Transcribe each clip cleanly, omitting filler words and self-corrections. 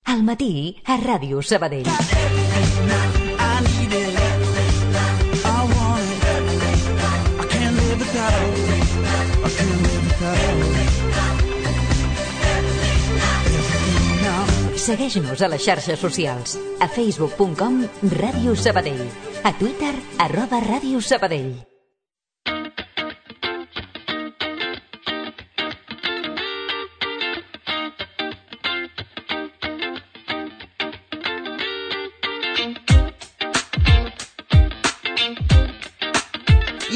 Al matí a Ràdio Sabadell. Segueix-nos a les xarxes socials. A facebook.com Ràdio Sabadell. A Twitter @Ràdio Sabadell.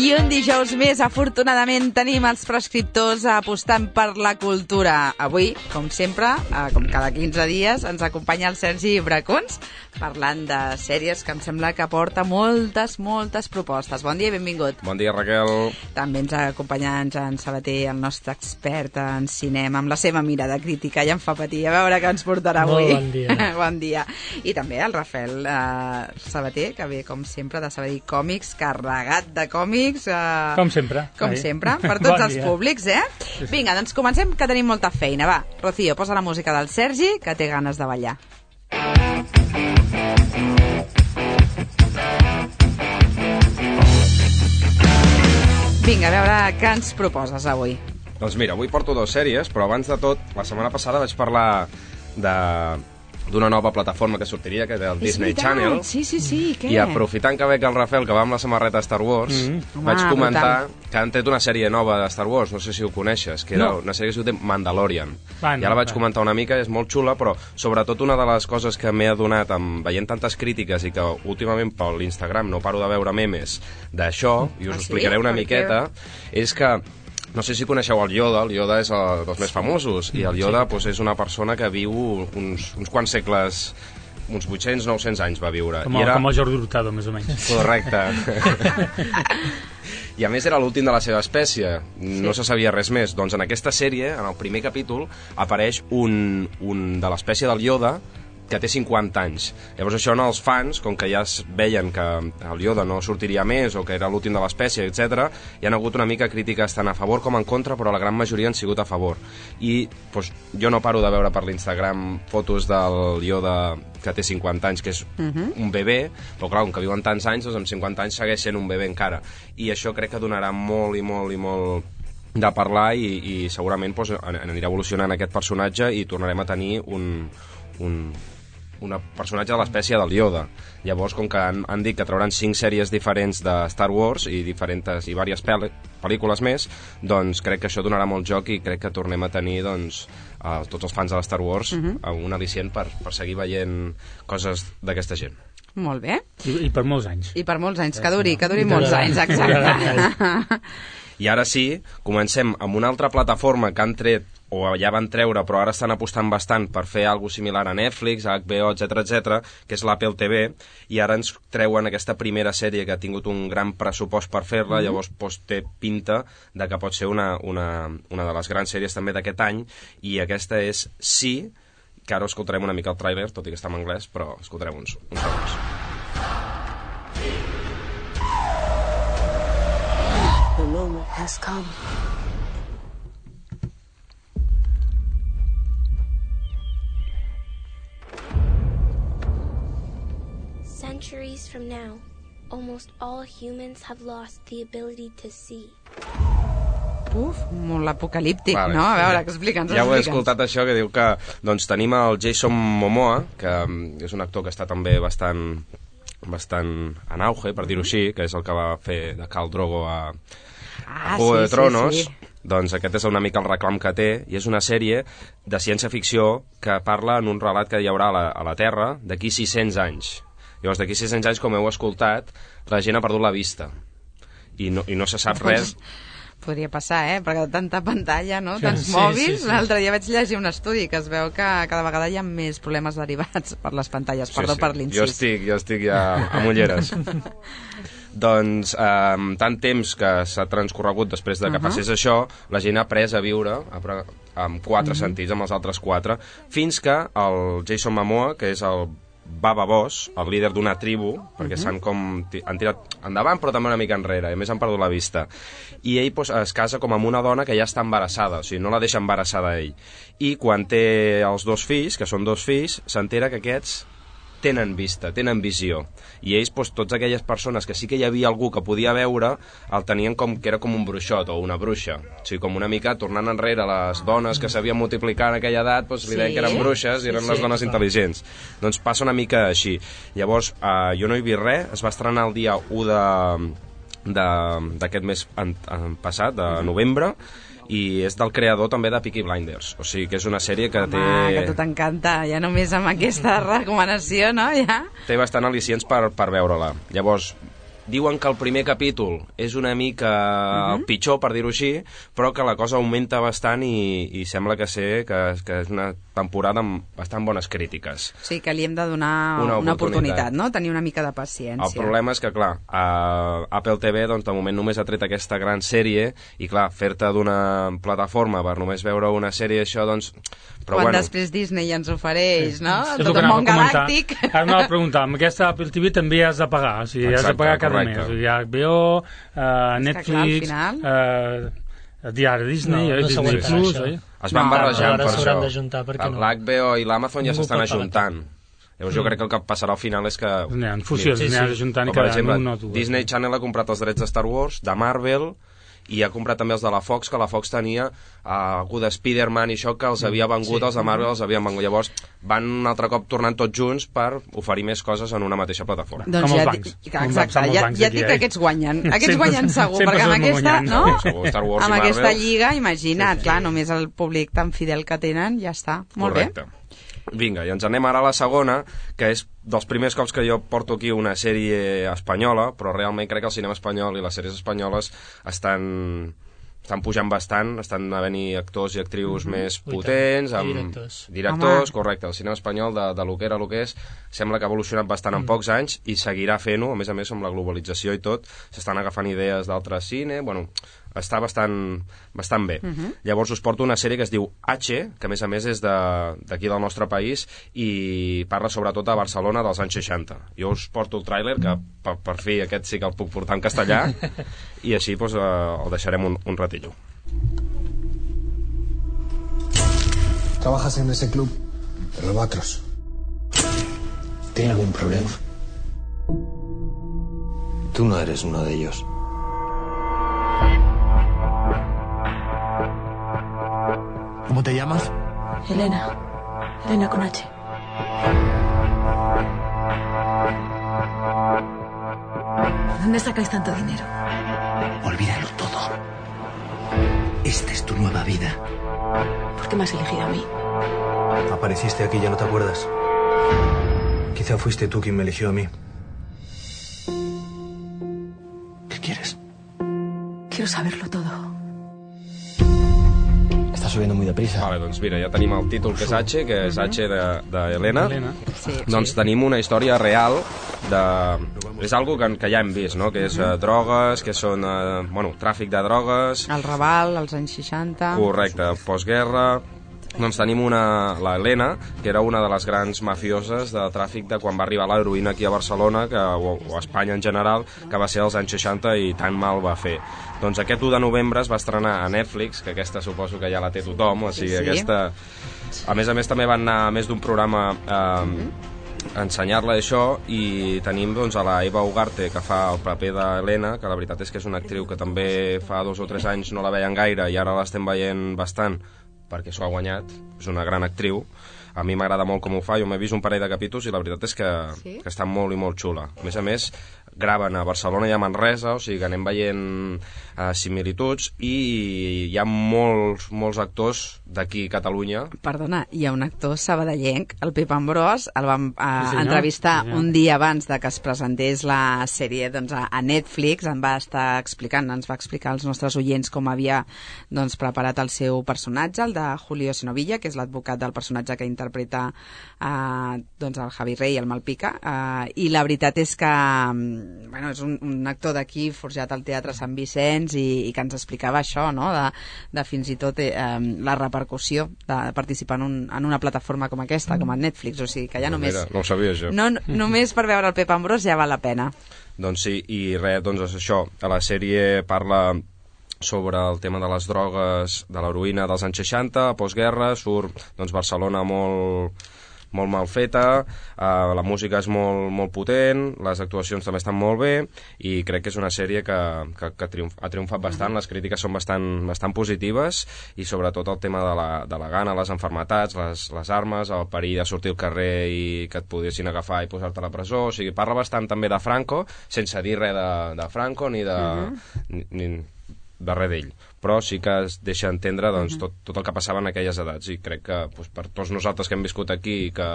I un dijous més, afortunadament, tenim els prescriptors apostant per la cultura. Avui, com sempre, com cada 15 dies, ens acompanya el Sergi Bracons, parlant de sèries que em sembla que porta moltes propostes. Bon dia i benvingut. Bon dia, Raquel. També ens acompanya en Jan Sabater, el nostre expert en cinema, amb la seva mirada crítica, i em fa patir. A veure què ens portarà avui. Molt bon dia. Bon dia. I també el Rafael Sabater, que ve, com sempre, de Sabadell Còmics, carregat de còmics. Com sempre. Com sempre, per tots els públics, Sí. Vinga, doncs comencem, que tenim molta feina. Va, Rocío, posa la música del Sergi, que té ganes de ballar. Vinga, a veure què ens proposes avui. Doncs mira, avui porto 2 sèries, però abans de tot, la setmana passada vaig parlar d'una nova plataforma que sortiria, que era el Disney Channel. Sí, què? I aprofitant que veig el Rafael, que va amb la samarreta de Star Wars, vaig comentar que han tret una sèrie nova de Star Wars, no sé si ho coneixes, que era una sèrie que es diu Mandalorian. Ja la vaig comentar una mica, és molt xula, però sobretot una de les coses que m'he adonat veient tantes crítiques i que últimament per l'Instagram no paro de veure memes d'això, i us explicaré una miqueta, és que no sé si coneixeu el Yoda és dels més famosos, i el Yoda és una persona que viu uns quants segles, uns 800-900 anys va viure. Com el Jordi Hurtado, més o menys. Correcte. I a més era l'últim de la seva espècie, no se sabia res més. Doncs en aquesta sèrie, en el primer capítol, apareix un de l'espècie del Yoda que té 50 anys. Llavors això els fans, com que ja veien que el Yoda no sortiria més o que era l'últim de l'espècie, etc., hi han hagut una mica crítiques tant a favor com en contra, però la gran majoria han sigut a favor. I jo no paro de veure per l'Instagram fotos del Yoda que té 50 anys, que és un bebè, però clar, com que viuen tants anys, doncs amb 50 anys segueix sent un bebè encara. I això crec que donarà molt de parlar i segurament anirà evolucionant aquest personatge i tornarem a tenir un personatge de l'espècie del Yoda. Llavors, com que han dit que trauran 5 sèries diferents de Star Wars i diverses pel·lícules més, doncs crec que això donarà molt joc i crec que tornem a tenir tots els fans de Star Wars un al·licient per seguir veient coses d'aquesta gent. Molt bé. I per molts anys. I per molts anys, que duri molts anys, exacte. I ara sí, comencem amb una altra plataforma que han tret o ja van treure, però ara estan apostant bastant per fer alguna similar a Netflix, a HBO, etc., que és l'Apple TV, i ara ens treuen aquesta primera sèrie que ha tingut un gran pressupost per fer-la, llavors té pinta de que pot ser una de les grans sèries també d'aquest any, i aquesta és Sí, que ara escoltarem una mica el tràiler, tot i que està en anglès, però escoltarem uns segons. The moment has come. Centuries from now, almost all humans have lost the ability to see. Molt apocalíptic, vale. No? A veure, explica'ns. Ja ho he escoltat, això, que diu que tenim el Jason Momoa, que és un actor que està també bastant en auge, per dir-ho així, que és el que va fer de Khal Drogo a Juego de Tronos. Sí. Doncs aquest és una mica el reclam que té, i és una sèrie de ciència-ficció que parla en un relat que hi haurà a la Terra d'aquí 600 anys. Llavors, d'aquí 600 anys, com heu escoltat, la gent ha perdut la vista i no se sap res. Podria passar, perquè tanta pantalla, no? Tants mòbils. L'altre dia vaig llegir un estudi que es veu que cada vegada hi ha més problemes derivats per les pantalles. Perdó per l'incís. Jo estic ja amb ulleres. Doncs tant temps que s'ha transcorregut després de que passés això, la gent ha après a viure amb 4 sentits, amb els altres 4, fins que el Jason Momoa, que és el Baba Boss, el líder d'una tribu, perquè han tirat endavant però també una mica enrere, i a més han perdut la vista. I ell es casa com amb una dona que ja està embarassada, o sigui, no la deixa embarassada ell. I quan té els 2 fills, que són 2 fills, s'entera que aquests tenen vista, tenen visió. I ells, tots aquelles persones que sí que hi havia algú que podia veure, el tenien com que era com un bruixot o una bruixa. O sigui, com una mica tornant enrere les dones que sabien multiplicar en aquella edat, li deien que eren bruixes i eren les dones intel·ligents. Doncs passa una mica així. Llavors, jo no he vist res, es va estrenar el dia 1 d'aquest mes passat, de novembre, i és del creador també de Peaky Blinders, o sigui que és una sèrie que té... que a tu t'encanta, ja només amb aquesta recomanació, no? Ja? Té bastant al·licients per veure-la. Llavors, diuen que el primer capítol és una mica pitjor, per dir-ho així, però que la cosa augmenta bastant i sembla que és una temporada amb bastant bones crítiques. O sigui que li hem de donar una oportunitat, no? Tenir una mica de paciència. El problema és que, clar, Apple TV doncs, de moment només ha tret aquesta gran sèrie i, clar, fer-te d'una plataforma per només veure una sèrie això, doncs... Però, quan després Disney ja ens ofereix, no? És Tot el món galàctic. Ara m'ha de preguntar, amb aquesta Apple TV també has de pagar, o sigui, has de pagar cada mes. O sigui, HBO, Netflix, diari Disney, Disney Plus... Es van barrejant per això. L'HBO i l'Amazon ja s'estan ajuntant. Llavors jo crec que el que passarà al final és que... En fusió, s'anirà ajuntant i cada un o dues. Disney Channel ha comprat els drets de Star Wars, de Marvel, i ha comprat també els de la Fox, que la Fox tenia algú de Spider-Man i això que els havia vengut, els de Marvel els havien vengut. Llavors van un altre cop tornant tots junts per oferir més coses en una mateixa plataforma. Doncs exacte, ja et dic que aquests guanyen. Aquests guanyen segur, perquè amb aquesta, no? Amb aquesta lliga, imagina't, clar, només el públic tan fidel que tenen, ja està. Molt bé. Vinga, i ens anem ara a la segona, que és dels primers cops que jo porto aquí una sèrie espanyola, però realment crec que el cinema espanyol i les sèries espanyoles estan pujant bastant, estan havent-hi actors i actrius més potents, amb directors, correcte, el cinema espanyol de lo que era, lo que és, sembla que ha evolucionat bastant en pocs anys i seguirà fent-ho, a més amb la globalització i tot, s'estan agafant idees d'altre cine, bueno, està bastant bé. Llavors us porto una sèrie que es diu H, que a més és d'aquí del nostre país i parla sobretot de Barcelona dels anys 60. Jo us porto el tràiler, que per fi aquest sí que el puc portar en castellà, i així pues, el deixarem un ratillo. Trabajas en ese club de los Batros. ¿Tiene algún problema? Tú no eres uno de ellos. ¿Cómo te llamas? Elena. Elena con H. ¿Dónde sacáis tanto dinero? Olvídalo todo. Esta es tu nueva vida. ¿Por qué me has elegido a mí? Apareciste aquí y ya no te acuerdas. Quizá fuiste tú quien me eligió a mí. ¿Qué quieres? Quiero saberlo todo. Està subiendo muy deprisa. Vale, doncs mira, ja tenim el títol que és H, que és H d'Helena. Doncs tenim una història real és algo que ja hem vist, no? Que és drogues, que són tràfic de drogues, el Raval, als anys 60. Correcte, postguerra. Doncs tenim la Helena, que era una de les grans mafioses de tràfic de quan va arribar l'heroïna aquí a Barcelona, o a Espanya en general, que va ser als anys 60 i tan mal va fer. Doncs aquest 1 de novembre es va estrenar a Netflix, que aquesta suposo que ja la té tothom, o sigui, aquesta... A més també van anar a més d'un programa a ensenyar-la això, i tenim doncs, a la Eva Ugarte, que fa el paper d'Helena, que la veritat és que és una actriu que també fa 2 o 3 anys no la veien gaire i ara l'estem veient bastant, perquè s'ho ha guanyat, és una gran actriu. A mi m'agrada molt com ho fa, jo m'he vist un parell de capítols i la veritat és que està molt i molt xula. A més, graven a Barcelona i a Manresa, o sigui que anem veient similituds, i hi ha molts actors d'aquí a Catalunya. Perdona, hi ha un actor sabadellenc, el Pep Ambrós, el vam entrevistar un dia abans de que es presentés la sèrie a Netflix, ens va explicar als nostres oients com havia preparat el seu personatge, el de Julio Sinovilla, que és l'advocat del personatge que interpreta el Javi Rey, el Malpica, i la veritat és que és un actor d'aquí forjat al Teatre Sant Vicenç i que ens explicava això, no? De fins i tot la repercussió de participar en una plataforma com aquesta, com el Netflix, o sigui que ja només... Mira, no ho sabia, això. Només per veure el Pep Ambrós ja val la pena. Doncs sí, i res, doncs això, a la sèrie parla sobre el tema de les drogues, de l'heroïna dels anys 60, a postguerra, surt doncs, Barcelona molt mal feta, la música és molt potent, les actuacions també estan molt bé, i crec que és una sèrie que ha triomfat bastant, les crítiques són bastant positives, i sobretot el tema de la gana, les enfermetats, les armes, el perill de sortir al carrer i que et poguessin agafar i posar-te a la presó, o sigui, parla bastant també de Franco, sense dir res de Franco ni de res d'ell, però sí que es deixa entendre doncs, tot el que passava en aquelles edats, i crec que doncs, per tots nosaltres que hem viscut aquí i que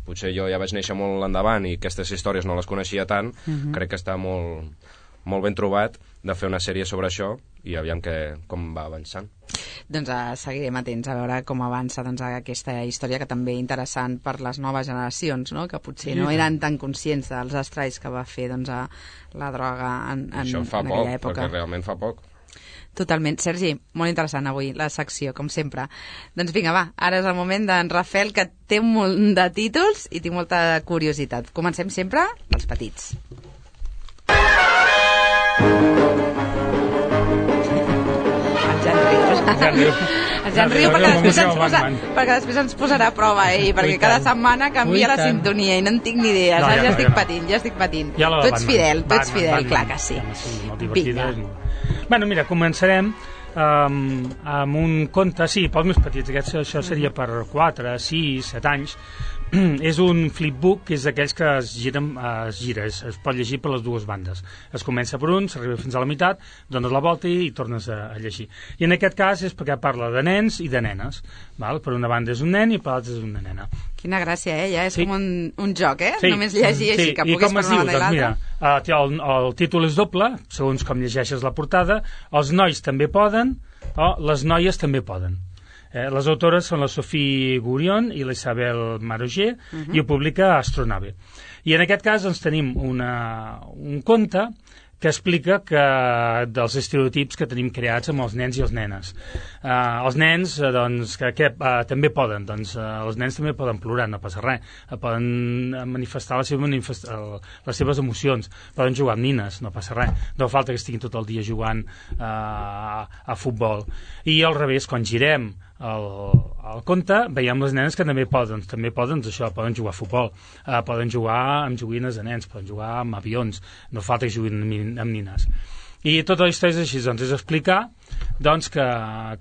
potser jo ja vaig néixer molt endavant i aquestes històries no les coneixia tant, crec que està molt ben trobat de fer una sèrie sobre això i aviam com va avançant. Doncs seguirem atents a veure com avança aquesta història, que també interessant per les noves generacions, no? Que potser no eren tan conscients dels estralls que va fer la droga en aquella època. Perquè realment fa poc. Totalment. Sergi, molt interessant avui la secció, com sempre. Doncs vinga, va, ara és el moment d'en Rafael, que té un munt de títols i tinc molta curiositat. Comencem sempre dels petits. El Jan riu perquè després ens posarà a prova, perquè cada setmana canvia la sintonia i no en tinc ni idea. Ja estic patint. Tu ets fidel, clar que sí. Vinga. Bueno, mira, començarem amb un conte, sí, pels més petits, això seria per 4, 6, 7 anys. És un flipbook, que és d'aquells que es gira, es pot llegir per les dues bandes. Es comença per un, s'arriba fins a la meitat, dones la volta i tornes a llegir. I en aquest cas és perquè parla de nens i de nenes. Val? Per una banda és un nen i per l'altra és una nena. Quina gràcia, ja és com un joc, només llegir així, que puguis per una banda i l'altra. Mira, el títol és doble, segons com llegeixes la portada. Els nois també poden, o les noies també poden. Les autores són la Sophie Gurion i l'Isabel Maroger, i ho publica Astronave. I en aquest cas doncs, tenim un conte que explica dels estereotips que tenim creats amb els nens i les nenes. Els nens doncs, també poden, els nens també poden plorar, no passa res, poden manifestar les seves emocions, poden jugar amb nines, no passa res, no falta que estiguin tot el dia jugant a futbol. I al revés, quan girem el conte, veiem les nenes que també poden això, poden jugar a futbol, poden jugar amb joguines de nens, poden jugar amb avions, no falta que juguin amb nines. I tota la història és així, és explicar que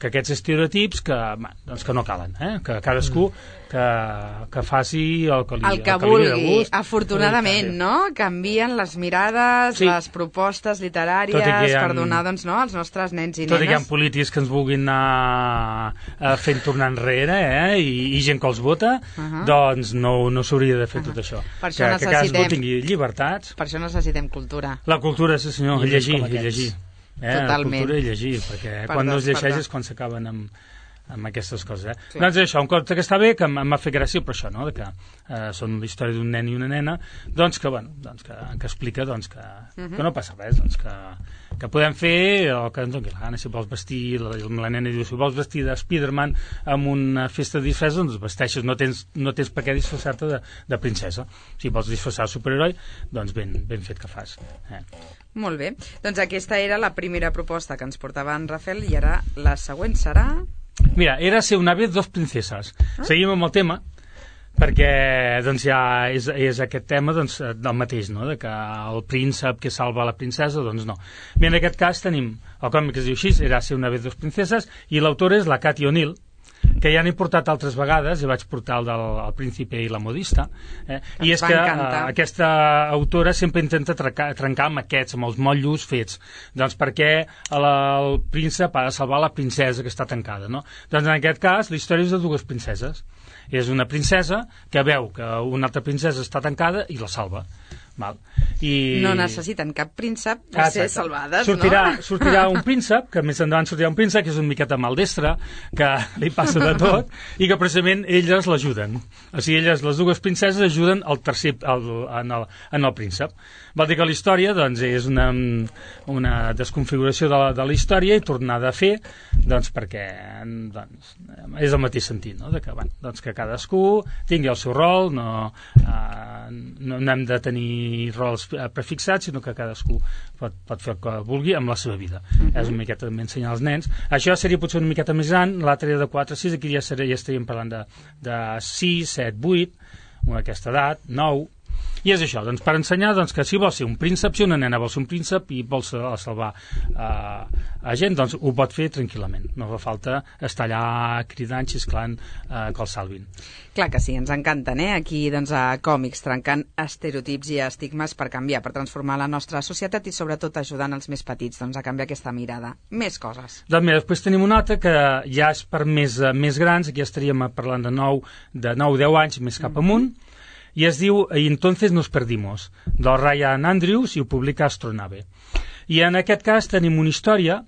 aquests estereotips que no calen, que cadascú que faci el que li vulgui. Afortunadament, no? Canvien les mirades, les propostes literàries per donar als nostres nens i nenes. Tot i que hi ha polítics que ens vulguin anar fent tornar enrere i gent que els vota, doncs no s'hauria de fer tot això. Que cadascú tingui llibertats. Per això necessitem cultura. La cultura, sí senyor, llegir. Totalment. La cultura i llegir, perquè quan no es llegeix és quan s'acaben amb aquestes coses. Sí. Doncs això, un conte que està bé, que m'ha fet gràcia per això, no? Que són la història d'un nen i una nena, que explica que no passa res, que podem fer el que ens doni la gana. Si vols vestir, la nena diu, si vols vestir de Spiderman amb una festa de disfressa, doncs vesteixes, no tens per què disfressar-te de princesa. Si vols disfressar de superheroi, doncs ben fet que fas. Molt bé, doncs aquesta era la primera proposta que ens portava en Rafael, i ara la següent serà... Mira, era ser una vez dos princeses. Seguim amb el tema, perquè ja és aquest tema del mateix, no? De que el príncep que salva la princesa, doncs no. Bé, en aquest cas tenim el còmic que es diu així, era ser una vez dos princeses, i l'autora és la Cathy O'Neill, que ja n'he portat altres vegades, ja vaig portar el del Príncipe i la modista, i és que aquesta autora sempre intenta trencar amb els motllos fets, doncs perquè el príncep ha de salvar la princesa que està tancada, no? Doncs en aquest cas la història és de dues princeses. És una princesa que veu que una altra princesa està tancada i la salva. Val. I... No necessiten cap príncep per ser salvades, sortirà un príncep, que més endavant sortirà un príncep, que és una miqueta maldestre, que li passa de tot, i que precisament elles l'ajuden. O sigui, elles, les dues princeses, ajuden el tercer, en el príncep. Vol dir que la història doncs, és una desconfiguració de la història i tornada a fer, doncs, perquè doncs, és el mateix sentit, no? De que, bueno, doncs, que cadascú tingui el seu rol, no hem de tenir rols prefixats, sinó que cadascú pot fer el que vulgui amb la seva vida. És una miqueta també ensenyar als nens. Això seria potser una miqueta més gran, l'altre de 4 a 6, aquí ja estaríem parlant de 6, 7, 8, aquesta edat, 9. I és això, doncs, per ensenyar doncs, que si vol ser un príncep, si una nena vol ser un príncep i vol salvar a gent, doncs ho pot fer tranquil·lament. No fa falta estar allà cridant, xisclant que el salvin. Clar que sí, ens encanten, aquí doncs, a Còmics, trencant estereotips i estigmes per canviar, per transformar la nostra societat i sobretot ajudant els més petits doncs, a canviar aquesta mirada. Més coses. Doncs mira, després tenim una altra que ja és per més grans, aquí estaríem parlant de 9-10 anys més cap amunt, i es diu Y entonces nos perdimos, del Ryan Andrews, i ho publica Astronave. I en aquest cas tenim una història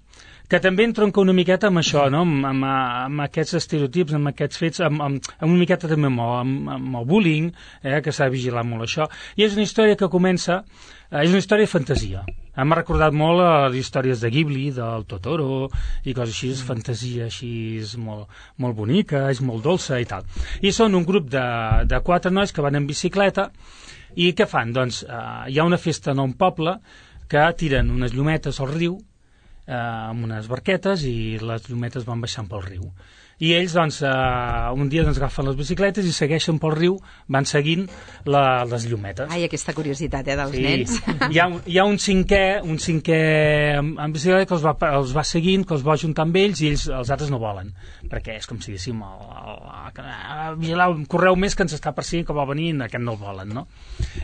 que també entronca una miqueta amb això, no? amb aquests estereotips, amb aquests fets, amb una miqueta també amb el bullying, que s'ha de vigilar molt això. I és una història que comença, és una història de fantasia. M'ha recordat molt les històries de Ghibli, del Totoro, i coses així, fantasia així molt bonica, és molt dolça i tal. I són un grup de 4 nois que van en bicicleta, i què fan? Doncs hi ha una festa en un poble que tiren unes llumetes al riu, amb unes barquetes, i les llumetes van baixant pel riu. I ells, doncs, un dia doncs, agafen les bicicletes i segueixen pel riu, van seguint les llumetes. Ai, aquesta curiositat, dels nens. Hi ha un cinquè en bicicleta que els va seguint, que els va ajuntar amb ells, i ells, els altres no volen, perquè és com si diguéssim correu més que ens està perseguint, que vol venir, aquest no el volen, no?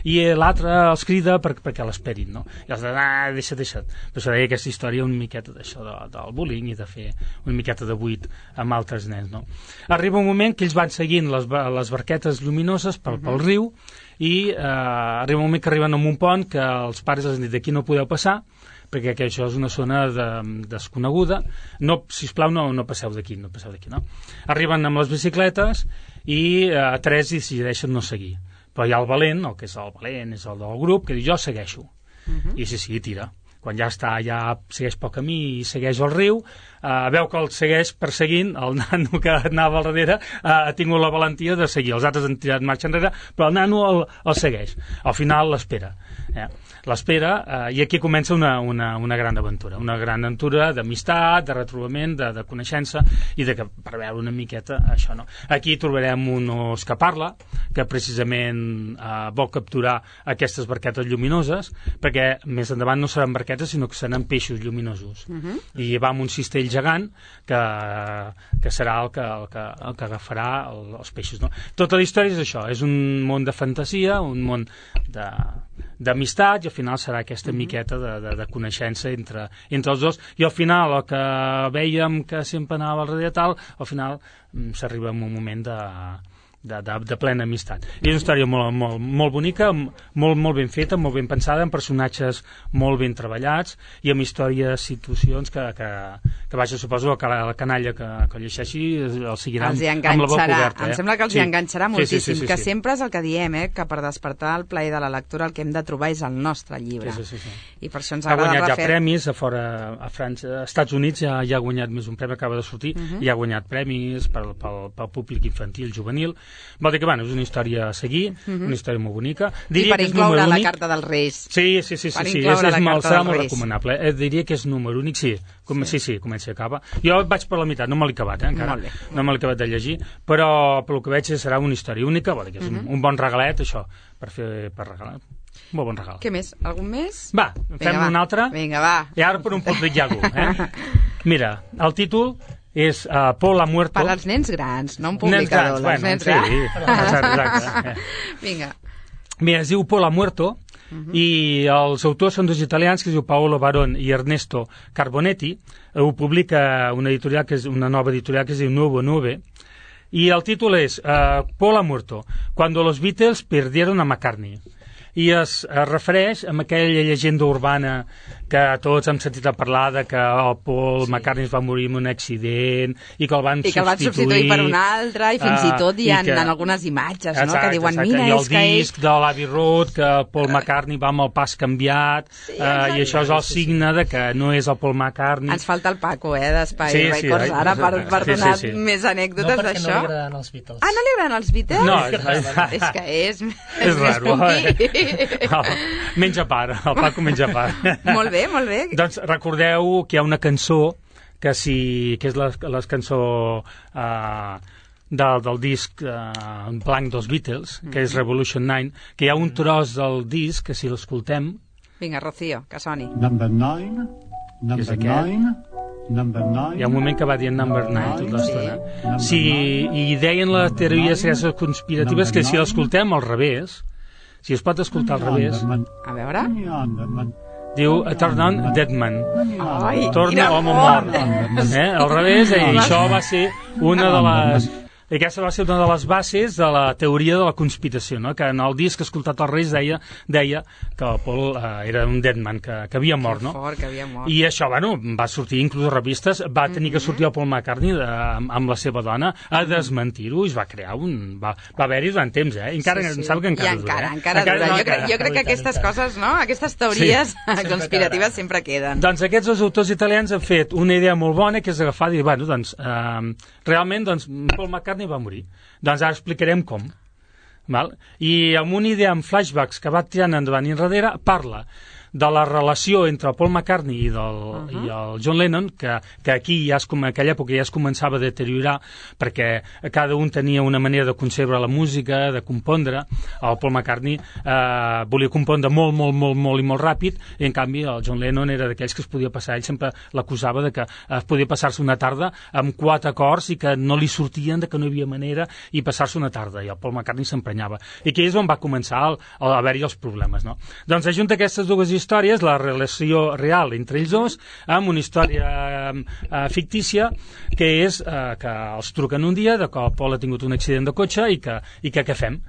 I l'altre els crida perquè l'esperin, no? I els diuen, deixa't. Per això deia aquesta història una miqueta d'això del bullying i de fer una miqueta de buit amb altres nens, no? Arriba un moment que ells van seguint les barquetes lluminoses pel riu, i arriba un moment que arriben a un pont que els pares els han dit d'aquí no podeu passar perquè això és una zona desconeguda, sisplau no passeu d'aquí, no? Arriben amb les bicicletes i 3 decideixen no seguir, però hi ha el valent, el que és el valent és el del grup, que diu jo segueixo, i sí, tira. Quan ja segueix pel camí i segueix el riu, veu que el segueix perseguint, el nano que anava al darrere ha tingut la valentia de seguir, els altres han tirat marxa enrere, però el nano el segueix, al final l'espera, i aquí comença una gran aventura d'amistat, de retrobament, de coneixença, i per veure una miqueta això, no? Aquí trobarem un os que parla, que precisament vol capturar aquestes barquetes lluminoses, perquè més endavant no seran barquetes, sinó que seran peixos lluminosos, i va amb un cistell gegant que serà el que agafarà els peixos, no? Tota la història és això, és un món de fantasia, un món d'amistat, i al final serà aquesta miqueta de coneixença entre els dos, i al final el que vèiem que sempre anava al darrere tal, al final s'arriba a un moment de plena amistat. I és una història molt bonica, molt ben feta, molt ben pensada, amb personatges molt ben treballats i amb històries, situacions que vaja, suposo que la canalla que llegeixi el seguirà amb la boca oberta. Em sembla que els hi enganxarà moltíssim, que sempre és el que diem, que per despertar el plaer de la lectura el que hem de trobar és el nostre llibre. I per això ens agrada refer... Ha guanyat ja premis a fora, a França, als Estats Units ja ha guanyat més un premi, acaba de sortir, i ha guanyat premis pel públic infantil, juvenil. Vol dir que, és una història a seguir, una història molt bonica. I per incloure la carta dels Reis. Sí, serà molt recomanable. Diria que és número únic, sí, comença i acaba. Jo vaig per la meitat, no me l'he acabat, encara. No me l'he acabat de llegir, però pel que veig serà una història única, vol dir que és un bon regalet, això, per regalar. Un bon regal. Què més? Algun més? Va, fem un altre. Vinga, va. I ara per un poc de Iago, Mira, el títol és Paul ha muerto. Per als nens grans, no un publicador. Nens grans, sí. Exacte. Vinga. Mira, es diu Paul ha muerto, i els autors són 2 italians, que es diu Paolo Baron i Ernesto Carbonetti. Ho publica una nova editorial que es diu Nuovo 9, i el títol és Paul ha muerto, cuando los Beatles perdieron a McCartney. i es refereix a aquella llegenda urbana que tots hem sentit a parlar de que el Paul McCartney es va morir en un accident i que el van substituir per un altre, i fins i tot hi ha en algunes imatges, no? Que diuen, mira, és que... I el disc de l'Abbey Road, que el Paul McCartney va amb el pas canviat, i això és el signe de que no és el Paul McCartney. Ens falta el Paco, d'Spy Records, ara, per donar més anècdotes d'això. No, perquè no li agraden els Beatles. Ah, no li agraden els Beatles? No, és que és raro. Menja part, el Paco menja part. Molt bé, molt bé. Doncs recordeu que hi ha una cançó que és la cançó del disc blanc dels Beatles, que és Revolution 9, que hi ha un tros del disc que si l'escoltem... Vinga, Rocío, que soni. Number 9, number 9... Hi ha un moment que va dient number 9 tota l'estona. I deien les teories conspiratives que si l'escoltem al revés, si es pot escoltar al revés... A veure... Diu, turn on dead man. Torna home mort. Al revés, i això va ser una de les... I aquesta va ser una de les bases de la teoria de la conspiració, no? Que en el disc escoltat als Reis deia que el Paul era un dead man, que havia mort, no? Que havia mort. I això, bueno, va sortir inclús a revistes, va tenir que sortir el Paul McCartney amb la seva dona a desmentir-ho, i es va crear va haver-hi durant temps, I encara em sembla que encara dura. Encara dura. Jo crec que aquestes coses, no? Aquestes teories conspiratives sempre queden. Doncs aquests dos autors italians han fet una idea molt bona, que és agafar i dir, bueno, doncs, realment, doncs, Paul McCartney va morir. Doncs ara explicarem com. Val? I amb una idea amb flashbacks que va tirant endavant i enrere, parla de la relació entre el Paul McCartney i el John Lennon, que aquí en aquella època ja es començava a deteriorar, perquè cada un tenia una manera de concebre la música, de compondre. El Paul McCartney volia compondre molt i molt ràpid, i en canvi el John Lennon era d'aquells que es podia passar, ell sempre l'acusava de que es podia passar-se una tarda amb 4 acords i que no li sortien, de que no hi havia manera, i passar-se una tarda, i el Paul McCartney s'emprenyava. I aquí és on va començar a haver-hi els problemes, no? Doncs ajunta aquestes dues històries, la relació real entre ells dos, amb una història fictícia, que és que els truquen un dia de que el Paul ha tingut un accident de cotxe i que què fem?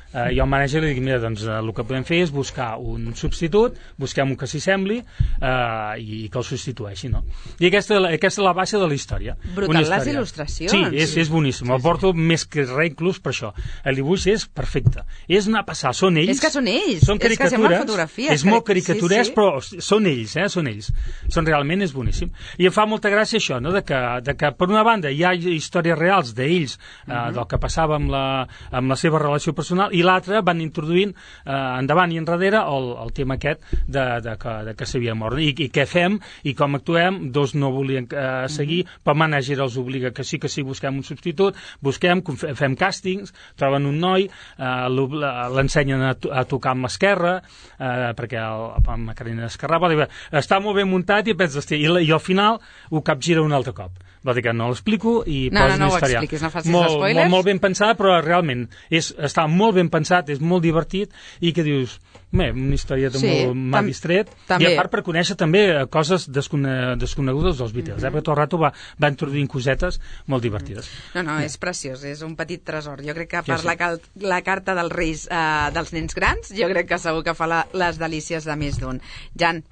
I el manager li dic, mira, doncs el que podem fer és buscar un substitut, busquem un que s'hi sembli i que el substitueixi, no? I aquesta és la base de la història. Brutal, les il·lustracions. Sí, és boníssim. El porto més que res inclús per això. El dibuix és perfecte. És una passada, són ells. És que són ells. Són caricatures. És que sembla fotografia. És molt caricaturès, però són ells, són ells. Realment és boníssim. I em fa molta gràcia això, no? De que per una banda hi ha històries reals d'ells, del que passava amb la seva relació personal, i l'altre van introduint endavant i enrere el tema aquest de que s'havia mort. I què fem i com actuem. Dos no volien seguir, però el manager els obliga que sí, busquem un substitut, fem càstings, troben un noi, l'ensenyen a tocar amb l'esquerra, perquè el McCartney esquerrava, està molt ben muntat, i penses, i al final ho capgira un altre cop. Vol dir que no l'explico i posa una història. No ho expliquis, no facis spoilers. Molt ben pensada, però realment està molt ben pensat, és molt divertit, i que dius, una història m'ha distret, i a part per conèixer també coses desconegudes dels Beatles, perquè tot el rato va introduint cosetes molt divertides. No, és preciós, és un petit tresor. Jo crec que per la carta dels Reis dels nens grans, jo crec que segur que fa les delícies de més d'un. Jan,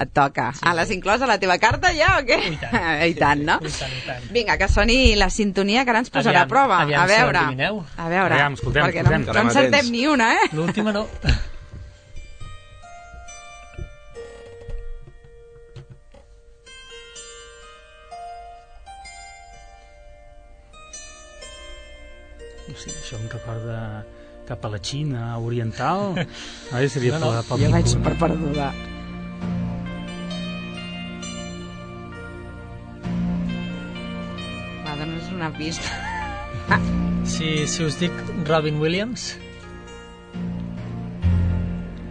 et toca. L'has inclòs a la teva carta ja o què? I tant, no? Vinga, que soni la sintonia, que ara ens posarà a prova. A veure, escoltem, perquè no encertem ni una, L'última no. Això em recorda cap a la Xina oriental. Seria jo vaig per perduda. Dones una pista. Si us dic Robin Williams.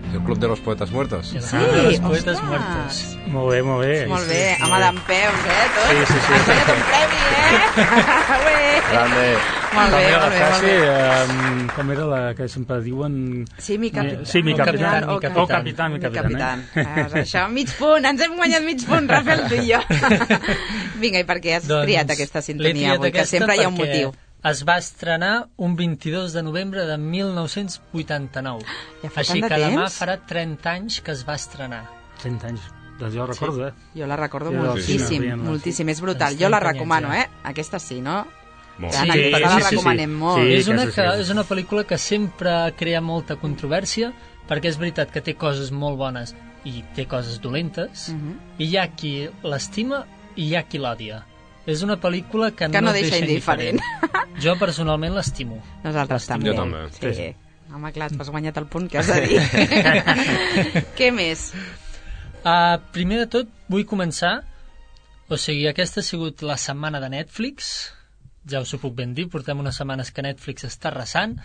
El Club de los Poetas Muertos. Sí, los Poetes Muertos. Molt bé. Molt bé, home d'empeus, tot. Sí. Has guanyat un premi, Grande. Molt bé. Com era la que sempre diuen... Sí, mi capitán. Sí, mi capitán. Mi capitán. Això, mig punt. Ens hem guanyat mig punt, Rafael, tu i jo. Vinga, i per què has triat aquesta sintonia avui? Que sempre hi ha un motiu. es va estrenar un 22 de novembre de 1989. Ja fa Així tant de que demà temps? farà 30 anys que es va estrenar. 30 anys. Doncs jo recordo, Jo la recordo Sí, moltíssim, sí, sí. moltíssim. És brutal. Doncs Jo la 30 anys, recomano, ja. Aquesta sí, no? Molt. Ja, Sí, sí, la sí, sí, recomanem molt. Sí, és, una aquesta sí. és una pel·lícula que sempre crea molta controvèrsia, perquè és veritat que té coses molt bones i té coses dolentes, i hi ha qui l'estima i hi ha qui l'òdia. És una pel·lícula que no et deixa indiferent. Jo personalment l'estimo. Nosaltres també. Jo també. Sí. Home, clar, t'has guanyat el punt que has de dir. Què més? Primer de tot, vull començar. O sigui, aquesta ha sigut la setmana de Netflix. Ja us ho puc ben dir, portem unes setmanes que Netflix està arrasant.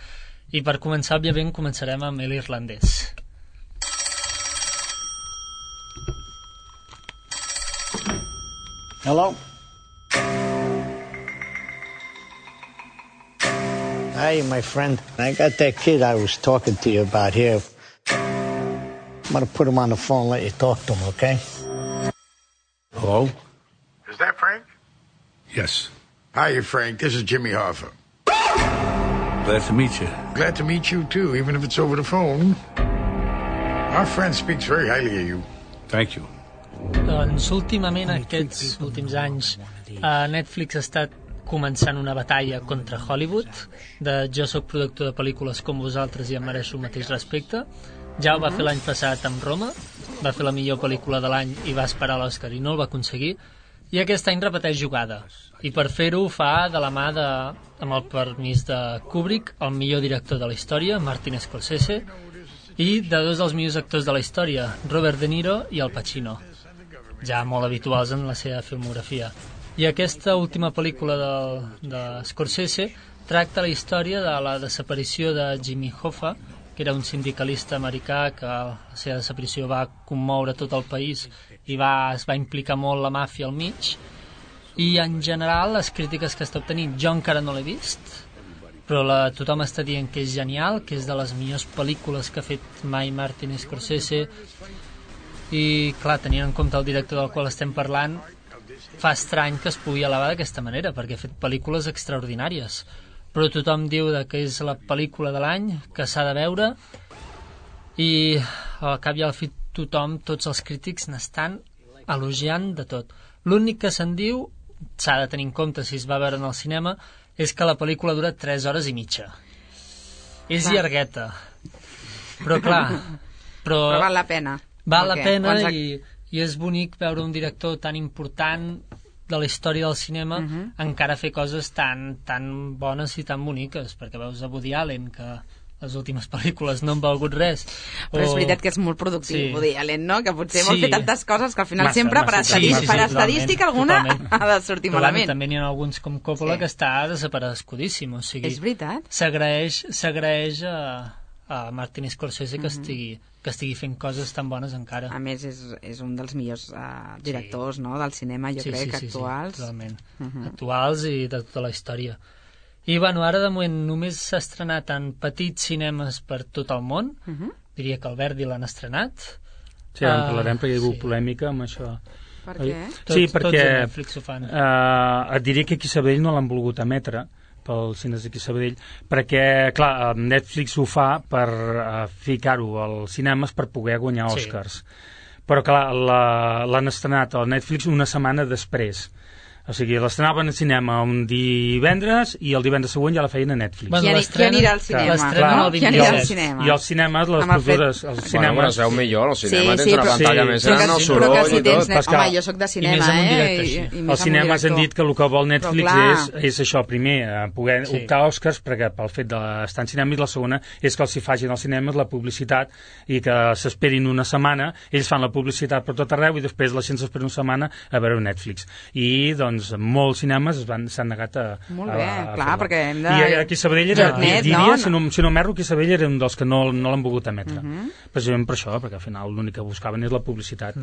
I per començar, òbviament, començarem amb l'irlandès. Hello? Hey, my friend. I got that kid I was talking to you about here. I'm going to put him on the phone and let you talk to him, okay? Hello? Is that Frank? Yes. Hi, Frank. This is Jimmy Hoffa. Glad to meet you. Glad to meet you, too, even if it's over the phone. Our friend speaks very highly of you. Thank you. Doncs últimament, aquests últims anys, Netflix ha estat començant una batalla contra Hollywood, de jo sóc productor de pel·lícules com vosaltres i em mereixo el mateix respecte. Ja ho va fer l'any passat amb Roma, va fer la millor pel·lícula de l'any i va esperar l'Oscar i no el va aconseguir, i aquest any repeteix jugada. I per fer-ho fa de la mà de, amb el permís de Kubrick, el millor director de la història, Martin Scorsese, i de dos dels millors actors de la història, Robert De Niro i Al Pacino, ja molt habituals en la seva filmografia. I aquesta última pel·lícula de Scorsese tracta la història de la desaparició de Jimmy Hoffa, que era un sindicalista americà que la seva desaparició va commoure tot el país i es va implicar molt la màfia al mig. I en general les crítiques que està obtenint, jo encara no l'he vist, però tothom està dient que és genial, que és de les millors pel·lícules que ha fet mai Martin Scorsese. I clar, tenint en compte el director del qual estem parlant, fa estrany que es pugui elevar d'aquesta manera, perquè ha fet pel·lícules extraordinàries, però tothom diu que és la pel·lícula de l'any, que s'ha de veure, i al cap i al fi tothom, tots els crítics n'estan elogiant de tot. L'únic que se'n diu, s'ha de tenir en compte si es va veure en el cinema, és que la pel·lícula dura 3 hores i mitja. És llargueta, però clar, però val la pena. Val la pena i és bonic veure un director tan important de la història del cinema encara fer coses tan bones i tan boniques, perquè veus a Woody Allen, que les últimes pel·lícules no han valgut res. Però és veritat que és molt productiu, Woody Allen, no? Que potser vol fer tantes coses que al final sempre per estadística alguna ha de sortir malament. Però també n'hi ha alguns com Coppola que està desaparegut, o sigui... És veritat? S'agraeix a Martin Scorsese que estigui fent coses tan bones encara. A més, és un dels millors directors del cinema, jo crec, actuals. Sí, totalment. Actuals i de tota la història. I bueno, ara de moment només s'ha estrenat en petits cinemes per tot el món. Diria que el Verdi l'han estrenat. Sí, en parlarem perquè hi ha hagut polèmica amb això. Per què? Sí, perquè tots a Netflix ho fan. Et diria que aquí a Sabadell no l'han volgut emetre, pels cines d'aquí a Sabadell, perquè, clar, Netflix ho fa per ficar-ho als cinemes per poder guanyar Oscars. Però, clar, l'han estrenat al Netflix una setmana després. O sigui, l'estrenaven al cinema un divendres i el divendres següent ja la feien a Netflix. Qui anirà al cinema? Qui anirà al cinema? I els cinemes, les cultures... Bueno, es veu millor, al cinema tens una pantalla més gran, el soroll i tot. Home, jo soc de cinema, Els cinemes han dit que el que vol Netflix és això, primer, poder optar a Oscars, perquè pel fet d'estar en cinema, i la segona és que els hi facin als cinemes la publicitat i que s'esperin una setmana, ells fan la publicitat per tot arreu i després la gent s'espera una setmana a veure Netflix. I, doncs, molts cinemes s'han negat a molt bé, clar, perquè hem de... I aquí a Sabadell diria, si no m'erro, aquí a Sabadell era un dels que no l'han volgut emetre. Precisament per això, perquè al final l'únic que buscaven és la publicitat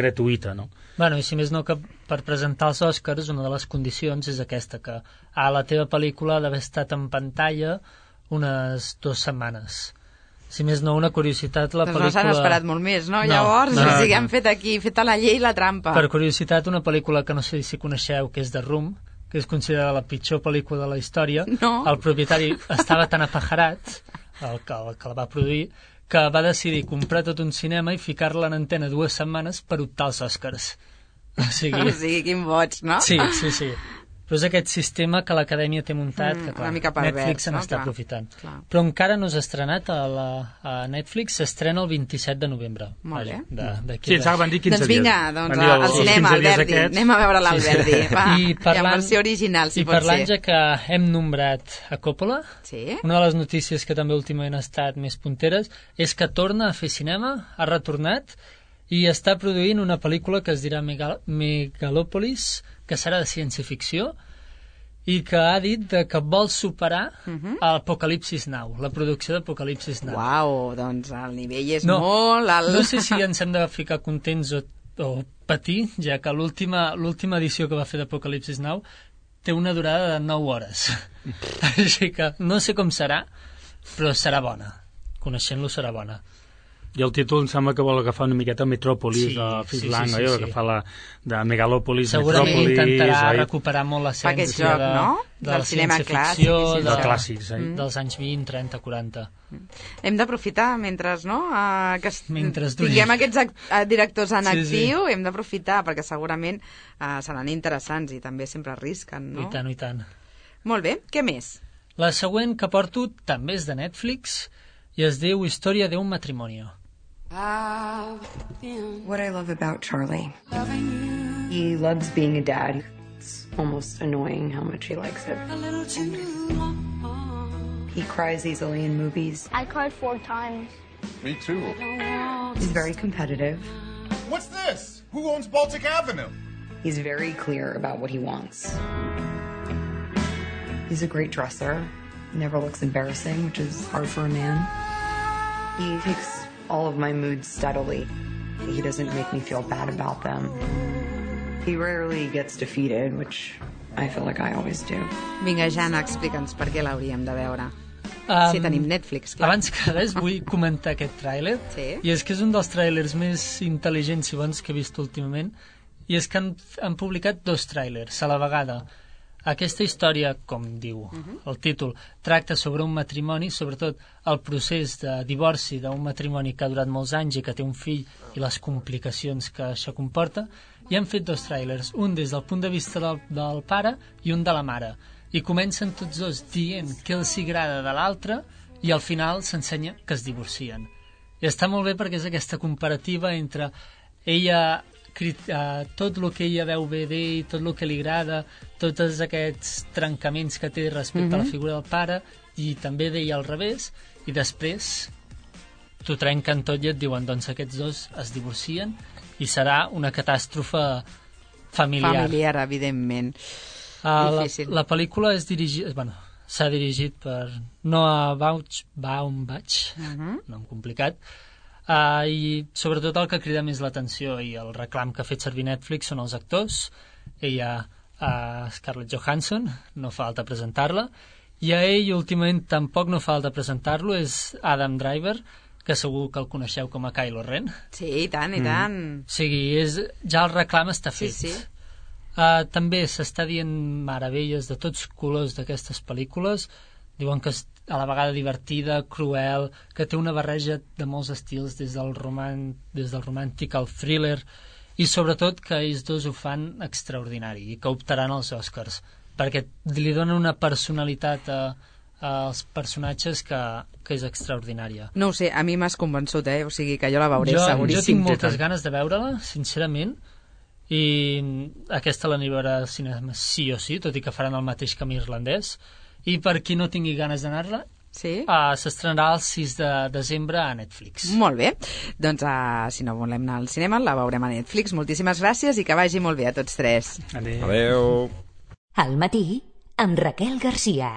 gratuïta, no? Bueno, i si més no, que per presentar els Oscars una de les condicions és aquesta, que a la teva pel·lícula ha d'haver estat en pantalla unes 2 setmanes. Si més no, una curiositat, la pel·lícula... No s'han esperat molt més, no? Llavors, o sigui, han fet aquí, fet a la llei la trampa. Per curiositat, una pel·lícula que no sé si coneixeu, que és The Room, que és considerada la pitjor pel·lícula de la història, el propietari estava tan apajarat, el que la va produir, que va decidir comprar tot un cinema i ficar-la en antena 2 setmanes per optar als Oscars. O sigui, quin boig, no? Sí. Però és aquest sistema que l'Acadèmia té muntat, que clar, Netflix se n'està aprofitant. Però encara no s'ha estrenat a Netflix, s'estrena el 27 de novembre. Molt bé. Sí, ens van dir 15 dies. Doncs vinga, al cinema, Alberdi. Anem a veure l'Alberdi. I en versió original, si pot ser. I parlant, ja que hem nombrat a Coppola, una de les notícies que també últimament ha estat més punteres és que torna a fer cinema, ha retornat, i està produint una pel·lícula que es dirà Megalopolis, que serà de ciència-ficció, i que ha dit que vol superar Apocalipsis Now, la producció d'Apocalipsis Now. Uau, doncs el nivell és molt alt. No sé si ens hem de ficar contents o patir, ja que l'última edició que va fer d'Apocalipsis Now té una durada de 9 hores. Així que no sé com serà, però serà bona. Coneixent-lo serà bona. I el títol em sembla que vol agafar una miqueta Metròpolis, de Fritz Lang, que fa la de Megalòpolis, segurament Metròpolis... Segurament intentarà recuperar molt l'essència de la ciència-ficció, dels anys 20, 30, 40. Hem d'aprofitar mentre tinguem aquests directors en actiu, hem d'aprofitar, perquè segurament seran interessants i també sempre arrisquen, no? I tant. Molt bé, què més? La següent que porto també és de Netflix i es diu Història d'un matrimoni. What I love about Charlie, he loves being a dad. It's almost annoying how much he likes it. He cries easily in movies. I cried 4 times. Me too. He's very competitive. What's this? Who owns Baltic Avenue? He's very clear about what he wants. He's a great dresser. He never looks embarrassing, which is hard for a man. He takes all of my moods steadily. He doesn't make me feel bad about them. He rarely gets defeated, which I feel like I always do. Vinga, Jana, explica'ns per què l'hauríem de veure. Si tenim Netflix, clar. Abans que res vull comentar aquest tràiler, i és que és un dels tràilers més intel·ligents i bons que he vist últimament, i és que han publicat 2 tràilers a la vegada. Aquesta història, com diu el títol, tracta sobre un matrimoni, sobretot el procés de divorci d'un matrimoni que ha durat molts anys i que té un fill i les complicacions que això comporta, i han fet 2 tràilers, un des del punt de vista del pare i un de la mare, i comencen tots 2 dient què els agrada de l'altre i al final s'ensenya que es divorcien. I està molt bé perquè és aquesta comparativa entre ella... tot el que ella veu bé d'ell, tot el que li agrada, tots aquests trencaments que té respecte a la figura del pare, i també d'ell al revés, i després t'ho trenquen tot i et diuen doncs aquests 2 es divorcien i serà una catàstrofe familiar. Familiar, evidentment. La pel·lícula s'ha dirigit per Noah Baumbach, nom complicat, i sobretot el que crida més l'atenció i el reclam que ha fet servir Netflix són els actors. Ella, Scarlett Johansson, no fa falta presentar-la, i a ell últimament tampoc no fa falta presentar-lo, és Adam Driver, que segur que el coneixeu com a Kylo Ren. Sí, i tant, i tant. O sigui, ja el reclam està fet. Sí. També s'està dient meravelles de tots colors d'aquestes pel·lícules. Diuen que és a la vegada divertida, cruel, que té una barreja de molts estils, des del romàntic al thriller, i sobretot que ells 2 ho fan extraordinari i que optaran als Oscars, perquè li donen una personalitat als personatges que és extraordinària. No ho sé, a mi m'has convençut, o sigui que jo la veuré seguríssim. Jo tinc moltes ganes de veure-la, sincerament, i aquesta l'aniré a veure al cinema sí o sí, tot i que faran el mateix camí irlandès. I per qui no tingui ganes d'anar-la, s'estrenarà el 6 de desembre a Netflix. Molt bé. Doncs si no volem anar al cinema, la veurem a Netflix. Moltíssimes gràcies i que vagi molt bé a tots 3. Adéu. Al matí, amb Raquel Garcia.